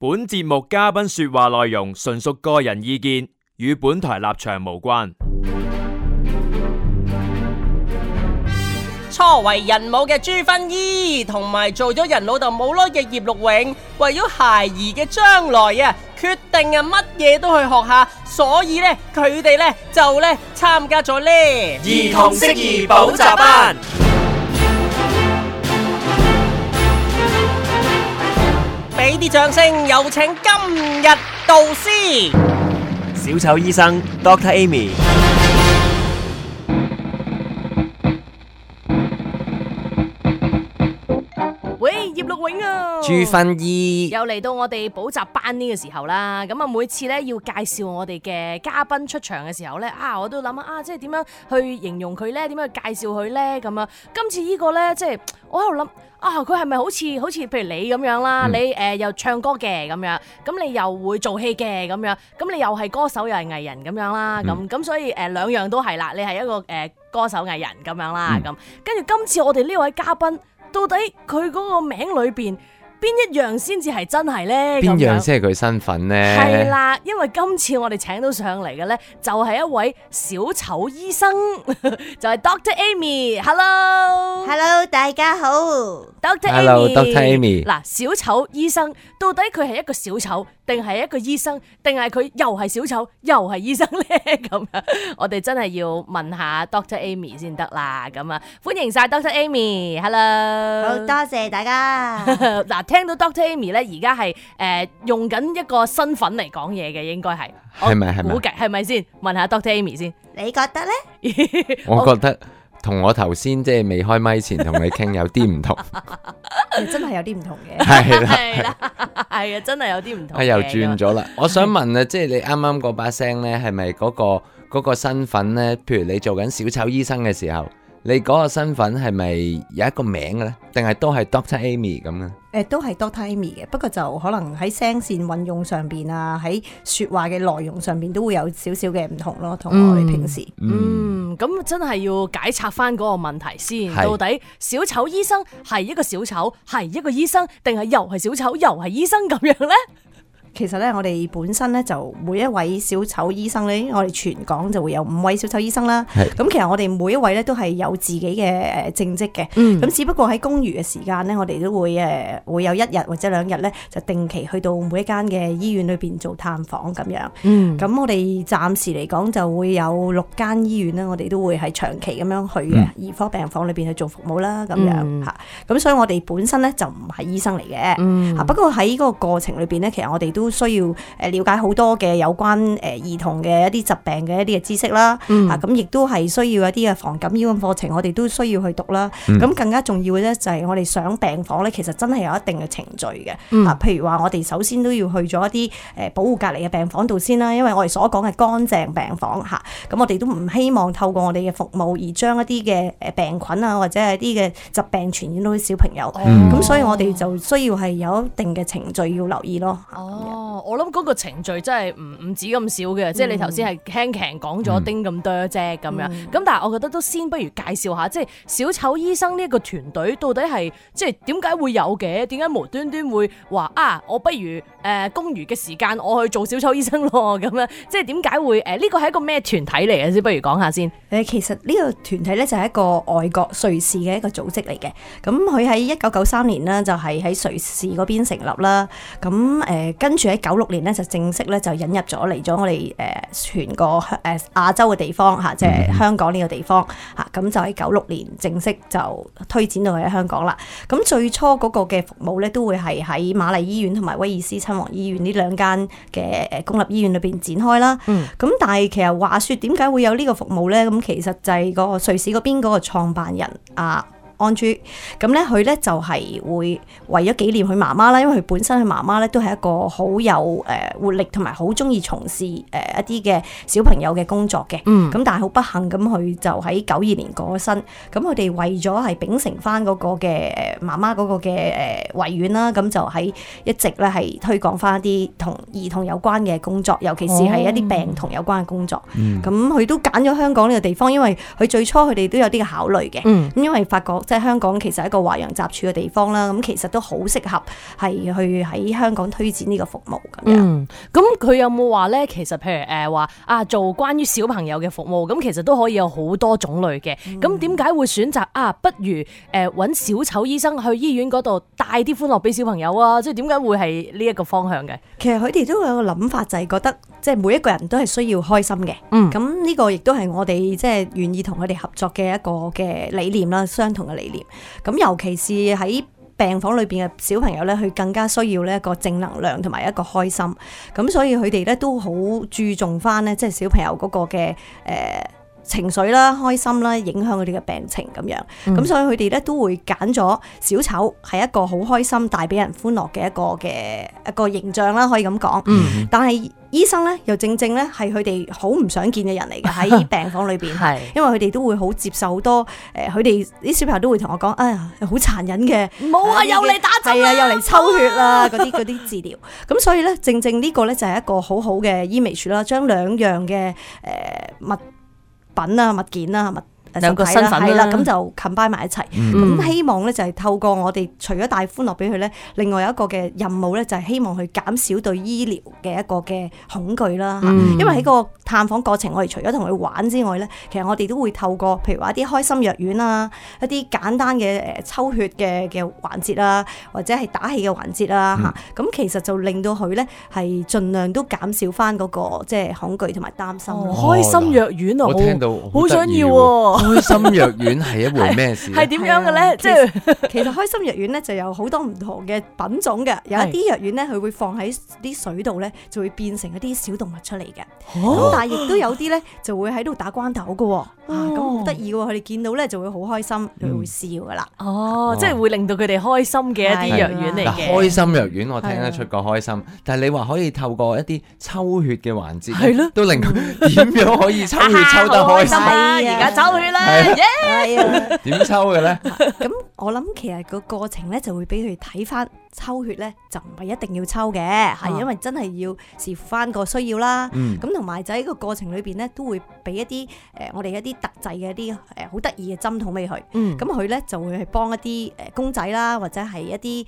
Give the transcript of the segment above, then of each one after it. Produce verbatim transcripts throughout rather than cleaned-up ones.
本節目嘉賓說話內容純屬個人意見，與本台立場無關。初為人母嘅朱薰姨，同埋做咗人老豆冇耐嘅葉綠永，為咗孩兒嘅將來啊，決定啊乜嘢都去學下，所以咧佢哋咧就咧參加咗咧兒童適宜補習班。俾啲掌聲，有請今日導師小丑醫生 Doctor Amy。喂，葉綠永啊，朱薰姨又嚟到我哋補習班呢個時候啦。咁啊，每次咧要介紹我哋嘅嘉賓出場嘅時候咧，啊，我都諗啊，即係點樣去形容佢咧？點樣去介紹佢咧？咁啊，今次呢個咧，即係我喺度諗啊，佢係咪好似好似譬如你咁樣啦？嗯、你誒、呃、又唱歌嘅咁樣，咁你又會做戲嘅咁樣，咁你又係歌手又係藝人咁樣啦。咁咁、嗯、所以誒、呃、兩樣都係啦。你係一個誒、呃、歌手藝人咁樣啦。咁跟住今次我哋呢位嘉賓。到底佢嗰個名裏邊邊一樣先至係真係咧？邊樣先係佢身份咧？係啦，因為今次我哋請到上嚟嘅咧，就係一位小丑醫生，就係 Doctor Amy。Hello，Hello， 大家好 ，Doctor Amy。Hello，Doctor Amy。嗱，小丑醫生到底佢係一個小丑，定係一個醫生，定係佢又係小丑又係醫生咧？咁樣，我哋真係要問下 Doctor Amy 先得啦。咁啊，歡迎晒 Doctor Amy。Hello， 好多謝大家。嗱，聽到 Doctor Amy 咧，而家係誒用緊一個身份嚟講嘢嘅，應該係係咪係咪？估計係咪先？問下 Doctor Amy 先。你覺得咧？我覺得同我頭先即係未開咪前同你傾有啲唔同。真係有啲唔同嘅。係啦，係啦，係啊，真係有啲唔同。啊，又轉咗啦！我想問啊，即係你啱啱嗰把聲咧，係咪嗰個嗰個身份咧？譬如你做緊小丑醫生嘅時候，你嗰個身份係咪有一個名嘅咧？定係都係 Doctor Amy 咁嘅？誒，都係 Doctor Amy 嘅，不過就可能喺聲線運用上邊啊，喺說話嘅內容上邊都會有少少嘅唔同咯，同我哋平時。嗯，咁、嗯、真係要解拆翻嗰個問題先，是到底小丑醫生係一個小丑，係一個醫生，定係又係小丑又係醫生咁樣呢？其實咧，我哋本身咧就每一位小丑醫生咧，我哋全港就會有五位小丑醫生啦。咁其實我哋每一位咧都係有自己嘅誒正職嘅。咁、嗯、只不過喺公餘嘅時間咧，我哋都會誒會有一日或者兩日咧，就定期去到每一間嘅醫院裏邊做探訪咁樣。咁、嗯、我哋暫時嚟講就會有六間醫院咧，我哋都會係長期咁樣去嘅兒科病房裏邊去做服務啦。咁樣嚇。咁、嗯、所以我哋本身咧就唔係醫生嚟嘅。嗯、不過喺嗰個過程裏邊咧，其實我哋都都需要誒了解好多嘅有關誒兒童嘅一啲疾病嘅一啲嘅知識啦，啊咁亦都係需要一啲嘅防感染嘅課程，我哋都需要去讀啦。咁、嗯、更加重要嘅咧就係我哋上病房咧，其實真係有一定嘅程序嘅。嗯、啊，譬如話我哋首先都要去咗一啲誒保護隔離嘅病房度先啦，因為我哋所講嘅乾淨病房嚇，咁我哋都唔希望透過我哋嘅服務而將一啲嘅誒病菌啊或者係一啲嘅疾病傳染到啲小朋友。咁、嗯、所以我哋就需要係有一定嘅程序要留意咯。哦，我諗嗰個程序真係唔唔止咁少嘅，嗯、即係你頭先係輕輕講咗丁咁多啫咁樣。咁、嗯、但係我覺得都先不如介紹下，即係小丑醫生呢一個團隊到底係即係點解會有嘅？點解無端端會話啊？我不如誒、呃、公餘嘅時間我去做小丑醫生咯咁樣，即係點解會誒呢個係一個咩團體嚟嘅先？不如講下先。誒，其實呢個團體咧就係一個外國瑞士嘅一個組織嚟嘅。咁佢喺一九九三年呢，就係喺瑞士嗰邊成立啦。咁誒跟住喺九六年咧就正式咧就引入咗嚟咗我哋誒全個誒亞洲嘅地方嚇，即係香港呢個地方嚇。咁就喺九六年正式就推展到喺香港啦。咁最初嗰個嘅服務咧都會係喺瑪麗醫院同埋威爾斯親王醫院呢兩間嘅誒公立醫院裏邊展開啦。咁、嗯、但係其實話說點解會有呢個服務咧？咁其實就係個瑞士嗰邊嗰個創辦人啊。安珠咁咧，佢咧就係會為咗紀念佢媽媽啦，因為佢本身佢媽媽咧都係一個好有誒活力同埋好中意從事誒一啲嘅小朋友嘅工作嘅。嗯，咁但係好不幸咁，佢就喺九二年過咗身。咁佢哋為咗係秉承翻嗰個嘅誒媽媽嗰個嘅誒遺願啦，咁就喺一直咧係推廣翻一啲同兒童有關嘅工作，尤其是係一啲病童有關嘅工作。咁佢、嗯、都揀咗香港呢個地方，因為佢最初佢哋都有啲嘅考慮嘅。嗯，因為發覺即係香港其實係一個華洋雜處嘅地方啦，咁其實都好適合係去喺香港推展呢個服務咁樣。嗯，咁佢有冇話咧？其實譬如誒話啊，做關於小朋友嘅服務，咁其實都可以有好多種類嘅。咁點解會選擇啊？不如誒揾小丑醫生去醫院嗰度帶啲歡樂俾小朋友啊？即係點解會係呢一個方向嘅？其實佢哋都有個諗法，就係覺得即係每一個人都係需要開心嘅。嗯，咁呢個亦都係我哋即係願意同佢哋合作嘅一個嘅理念啦，相同嘅理念。咁尤其是喺病房裏邊嘅小朋友咧，佢更加需要呢一個正能量同埋一個開心。咁所以佢哋咧都好注重翻咧，即係小朋友嗰個嘅誒。呃情緒啦、開心啦，影響佢哋嘅病情咁樣，咁、嗯、所以佢哋咧都會揀咗小丑係一個好開心、帶俾人歡樂嘅一個嘅一個形象啦，可以咁講。嗯、但係醫生咧又正正咧係佢哋好唔想見嘅人嚟嘅喺病房裏邊，係因為佢哋都會好接受好多誒，佢哋啲小朋友都會同我講，哎呀好殘忍嘅，冇啊又嚟打針啦，係啊又嚟抽血啦嗰啲嗰啲治療，咁所以咧正正呢個咧就係一個好好嘅醫微處啦，將兩樣嘅誒物品啊、物件啊、物兩個身份係啦，咁就 combine 埋一齊。咁、嗯、希望咧就係透過我哋除咗帶歡樂俾佢咧，另外有一個嘅任務咧就係希望去減少對醫療嘅一個嘅恐懼啦。嗯、因為喺個探訪過程，我哋除咗同佢玩之外咧，其實我哋都會透過譬如話一啲開心藥丸啊、一啲簡單嘅誒抽血嘅嘅環節啊，或者係打氣嘅環節啊嚇。咁、嗯、其實就令到佢咧係盡量都減少翻嗰個即係恐懼同埋擔心。哦、開心藥丸啊，我聽到好想要喎。開心藥丸係一回咩事？係點樣嘅咧？即係其實開心藥丸咧就有好多唔同嘅品種嘅，有一啲藥丸咧佢會放喺啲水度咧，就會變成一啲小動物出嚟嘅。咁、哦、但係亦都有啲咧就會喺度打關鬥嘅，哦、啊咁好得意喎！佢哋見到咧就會好開心，佢、嗯、會笑噶啦。哦，即係會令到佢哋開心嘅一啲藥丸嚟嘅。開心藥丸我聽得出個開心，但係你話可以透過一啲抽血嘅環節，係咯，都令佢點樣可以抽血抽得開心啊？而家抽血啦！係啊，點抽嘅咧？咁我諗其實個過程咧就會俾佢睇翻抽血咧，就唔係一定要抽嘅，係、啊、因為真係要視乎翻個需要啦。咁同埋就喺個過程裏邊咧，都會俾一啲誒、呃、我哋一啲特製嘅一啲誒好得意嘅針筒俾佢。咁佢咧就會去幫一啲誒公仔啦，或者係一啲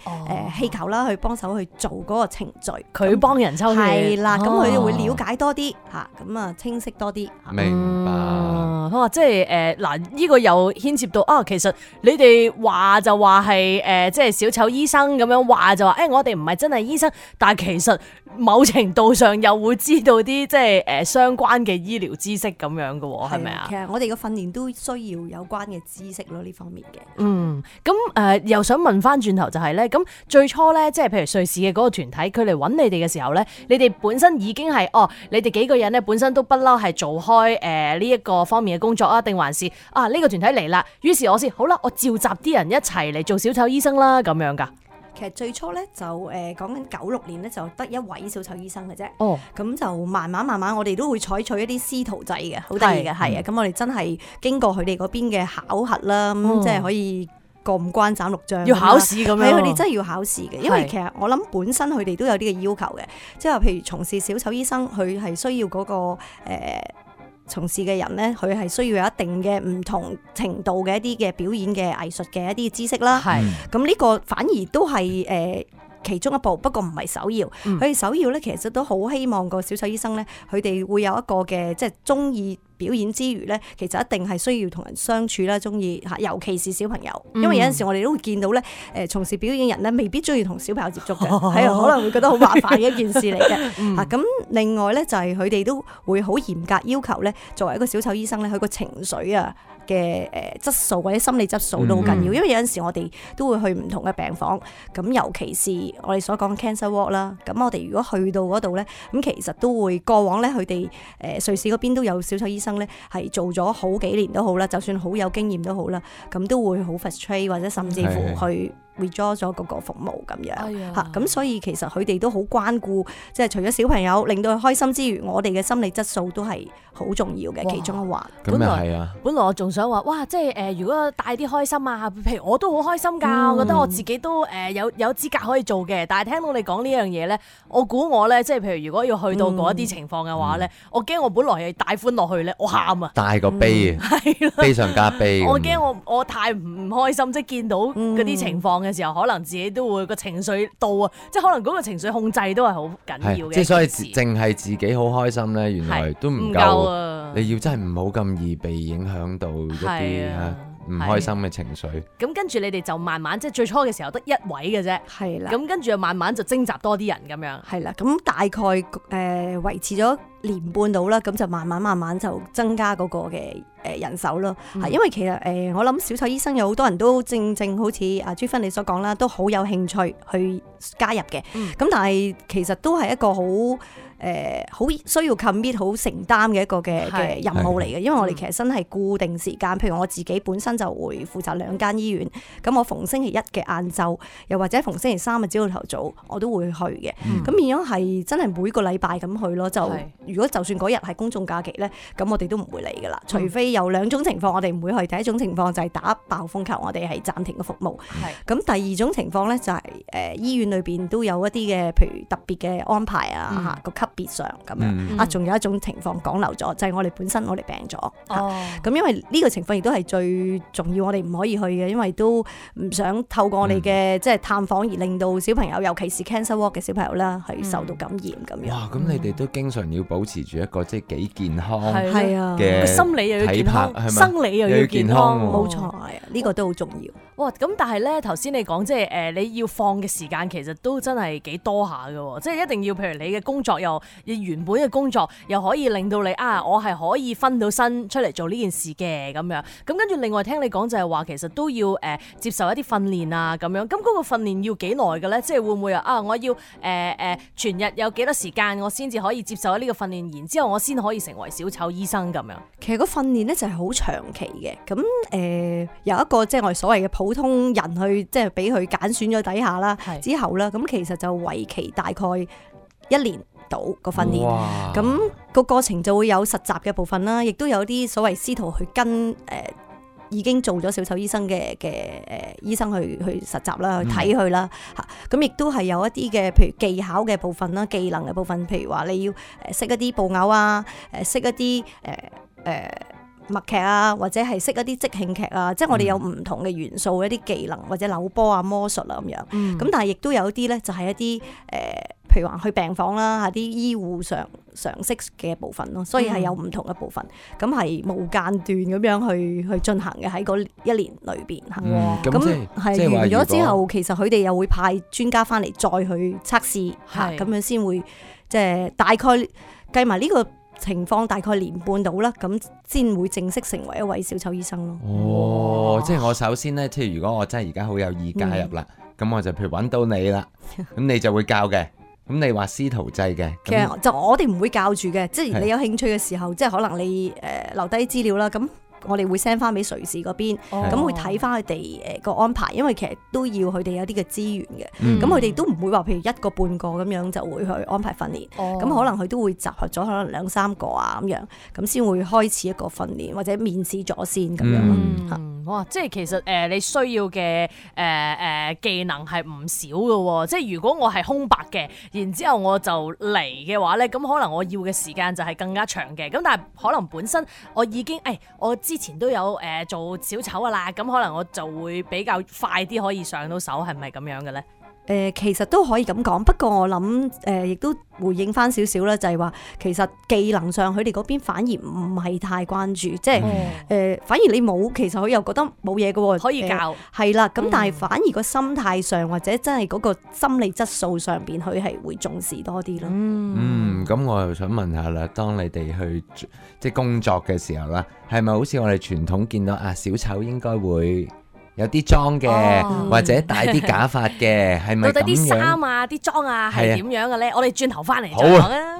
誒氣球啦，去幫手去做嗰個程序。佢幫人抽血係啦，咁佢就會了解多啲嚇，咁啊清晰多啲。明白。哇、嗯！即係誒嗱，呢、這個又牽涉到啊，其實你哋話就話係誒，即係小丑醫生咁樣話就話，誒、欸、我哋唔係真係醫生，但係其實某程度上又會知道啲即係誒相關嘅醫療知識咁樣嘅喎，係咪啊？其實我哋嘅訓練都需要有關嘅知識咯，呢方面嘅。嗯，咁誒、呃、又想問翻轉頭就係、是、咧，咁最初咧，即係譬如瑞士嘅嗰個團體，佢嚟揾你哋嘅時候咧，你哋本身已經係哦，你哋幾個人咧本身都不嬲係做開誒呢一個方面嘅工作啊，定還是啊呢、這個團體嚟啦，於是我先好啦，我召集啲人一齊嚟做小丑醫生啦，咁樣噶。其實最初咧就誒講緊九六年咧就得一位小丑醫生嘅啫。哦，咁就慢慢慢慢我哋都會採取一啲師徒制嘅，好得意嘅係啊。咁、嗯、我哋真係經過佢哋嗰邊嘅考核啦，咁、哦、即係可以過五關斬六將。要考試咁樣。係佢哋真係要考試嘅，因為其實我諗本身佢哋都有啲嘅要求嘅，即係話譬如從事小丑醫生，佢係需要嗰、那個誒。呃從事嘅人咧，佢係需要有一定嘅唔同程度嘅一啲嘅表演嘅藝術嘅一啲知識啦。係，咁呢個反而都係誒、呃、其中一步，不過唔係首要。佢哋、嗯、首要咧，其實都好希望個小丑醫生咧，佢哋會有一個嘅即係中意表演之餘咧，其實一定係需要同人相處啦，中意嚇，尤其是小朋友，因為有陣時我哋都會見到咧，誒從事表演人咧，未必中意同小朋友接觸嘅，係啊，可能會覺得好麻煩嘅一件事嚟嘅。嚇咁、嗯、另外咧就係佢哋都會好嚴格要求咧，作為一個小丑醫生咧，佢個情緒啊嘅誒質素或者心理質素都好緊要，因為有陣時我哋都會去唔同嘅病房，咁尤其是我哋所講嘅 cancer ward 啦，咁我哋如果去到嗰度咧，咁其實都會過往咧，佢哋誒瑞士嗰邊都有小丑醫生咧，係做咗好幾年都好啦，就算好有經驗都好啦，咁都會好 frustrate 或者甚至乎去 withdraw 咗嗰個服務咁樣哎呀嚇，咁所以其實佢哋都好關顧，即係除咗小朋友令到佢開心之餘，我哋嘅心理質素都係好重要嘅哇其中一環。咁又係啊，本來我仲想話，哇！即係誒、呃，如果帶啲開心啊，譬如我都好開心㗎，嗯我覺得我自己都誒、呃、有有資格可以做嘅。但係聽到你講呢樣嘢咧，我估我咧，即係譬如如果要去到嗰一啲情況嘅話咧，嗯、我驚我本來係帶歡落去咧，我喊啊！大個悲啊，係啦，悲上加悲咁。我驚我我太唔開心，即係見到嗰啲情況嘅時候，可能自己都會個情緒到啊，即係可能嗰個情緒控制都係好緊要嘅。即係所以淨係自己好開心咧，原來都唔夠。夠啊！你要真係唔好咁易被影響到一啲嚇唔開心嘅情緒。咁跟住你哋就慢慢即係最初嘅時候得一位嘅啫，係啦，咁跟住就慢慢就徵集多啲人咁樣。係啦，咁大概誒、呃、維持咗年半到啦，咁就慢慢慢慢就增加嗰個嘅誒人手咯。係、嗯、因為其實誒、呃、我諗小丑醫生有好多人都正正好似阿朱芬你所講啦，都好有興趣去加入嘅。咁、嗯、但係其實都係一個好誒好需要 commit 好承擔嘅一個嘅嘅任務嚟嘅，因為我哋其實真係固定時間，譬如我自己本身就會負責兩間醫院，咁我逢星期一嘅晏晝，又或者逢星期三嘅朝頭早，我都會去嘅。咁變咗係真係每個禮拜咁去咯。就如果就算嗰日係公眾假期咧，咁我哋都唔會嚟噶啦。除非有兩種情況，我哋唔會去。第一種情況就係打爆風球，我哋係暫停嘅服務。咁第二種情況咧就係、是、誒、呃、醫院裏邊都有一啲嘅，譬如特別嘅安排啊，個、嗯、級別上咁樣、嗯、啊，仲有一種情況講漏咗，就係、是、我哋本身我哋病咗。哦，咁、啊、因為呢個情況亦都係最重要，我哋唔可以去嘅，因為都唔想透過我哋嘅、嗯、即係探訪而令到小朋友，尤其是 cancer ward 嘅小朋友啦，係受到感染咁樣。哇！咁你哋都經常要保持住一個即係幾健康係啊嘅心理又要健康，生理又要健康，冇錯係啊，呢、這個都好重要。哇！咁但係咧，頭先你講即係誒，你要放嘅時間其實都真係幾多下㗎，即係一定要譬如你嘅工作又你原本嘅工作又可以令到你啊，我係可以分到身出嚟做呢件事嘅咁樣。咁跟住另外聽你講就係話，其實都要誒、呃、接受一啲訓練啊咁樣。咁嗰個訓練要幾耐嘅咧？即係會唔會啊？我要誒誒、呃呃、全日有幾多時間，我先至可以接受呢個訓練，然之後我先可以成為小丑醫生咁樣。其實個訓練咧就係好長期嘅。咁誒、呃、有一個即係我哋所謂嘅普通人去即係俾佢揀選咗底下啦，之後啦，咁其實就為期大概一年到個訓練，咁個過程就會有實習嘅部分啦，亦都有啲所謂師徒去跟誒、呃、已經做咗小丑醫生嘅嘅誒醫生去去實習啦，去睇佢啦嚇，咁亦都係有一啲嘅譬如技巧嘅部分啦，技能嘅部分，譬如話你要誒識一啲布偶啊，誒識一啲誒誒。呃默劇啊，或者係識一啲即興劇啊，即係我哋有唔同嘅元素，一啲技能或者扭波啊、魔術啊咁樣。咁、嗯、但係亦都有啲咧，就係一啲誒，譬如話去病房啦，嚇啲醫護常常識嘅部分咯。所以係有唔同嘅部分，咁係、嗯、無間斷咁樣去去進行嘅喺嗰一年裏邊嚇。咁係完咗之後，其實佢哋又會派專家翻嚟再去測試嚇，咁樣先會即係大概計埋呢個情況大概年半到啦，咁先會正式成為一位小丑醫生咯。哦，即係我首先咧，即係如果我真係而家好有意加入啦，咁、嗯、我就譬如揾到你啦，咁你就會教嘅。咁你話師徒制嘅，其實就我哋唔會教住嘅，即係你有興趣嘅時候，即係可能你誒、呃、留低資料啦，咁。我哋會 send 翻俾瑞士嗰邊，咁、哦、會睇翻佢哋誒個安排，因為其實都要佢哋有啲嘅資源嘅，咁佢哋都唔會話譬如一個半個咁樣就會去安排訓練，咁、哦、可能佢都會集合咗可能兩三個啊咁樣，咁先會開始一個訓練或者面試咗先咁樣。嗯嗯、哇！即係其實誒、呃、你需要嘅誒誒技能係唔少嘅喎，即係如果我係空白嘅，然之後我就嚟嘅話咧，咁可能我要嘅時間就係更加長嘅，咁但係可能本身我已經誒、哎、我知。之前都有誒、呃、做小丑噶啦，咁可能我就會比較快啲可以上到手，係咪咁樣嘅咧？誒、呃、其實都可以咁講，不過我諗誒亦都回應翻少少啦，就係、是、話其實技能上佢哋嗰邊反而唔係太關注，即係誒、嗯呃、反而你冇，其實佢又覺得冇嘢嘅喎，可以教係啦。咁、呃、但係反而個心態上或者真係嗰個心理質素上邊，佢係會重視多啲咯。嗯，咁、嗯、我又想問下啦，當你哋去即係工作嘅時候啦，係咪好似我哋傳統見到啊小丑應該會有啲裝嘅，哦、或者戴啲假髮嘅，係咪咁樣？到底啲衫啊、啲裝啊係點樣嘅咧？我哋轉頭翻嚟再講啊！